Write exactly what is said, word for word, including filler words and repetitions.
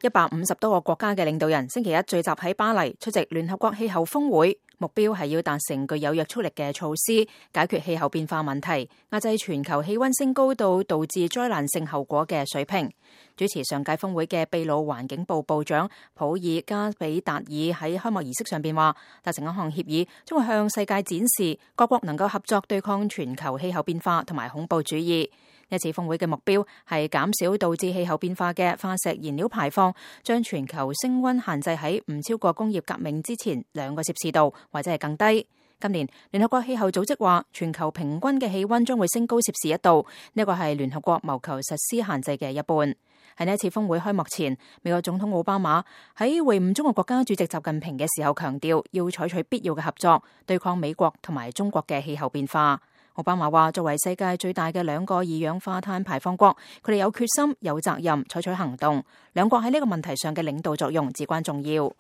一百五十多個國家嘅領導人星期一聚集喺巴黎出席聯合國氣候峰會，目標係要達成具有約束力嘅措施，解決氣候變化問題，壓制全球氣溫升高到導致災難性後果嘅水平。主持上屆峰會嘅秘魯環境部部長普爾加比達爾喺開幕儀式上邊話，達成一項協議將會向世界展示各國能夠合作對抗全球氣候變化同埋恐怖主義。呢次峰會嘅目標係減少導致氣候變化嘅化石燃料排放，將全球升溫限制喺唔超過工業革命之前兩個攝氏度或者係更低。今年聯合國氣候組織話，全球平均嘅氣溫將會升高攝氏一度，呢個係聯合國謀求實施限制嘅一半。喺呢一次峰會開幕前，美國總統奧巴馬喺會晤中國國家主席習近平嘅時候強調，要採取必要嘅合作，對抗美國同埋中國嘅氣候變化。奧巴馬話，作為世界最大嘅兩個二氧化碳排放國，佢哋有決心、有責任採取行動。兩國喺呢個問題上嘅領導作用至關重要。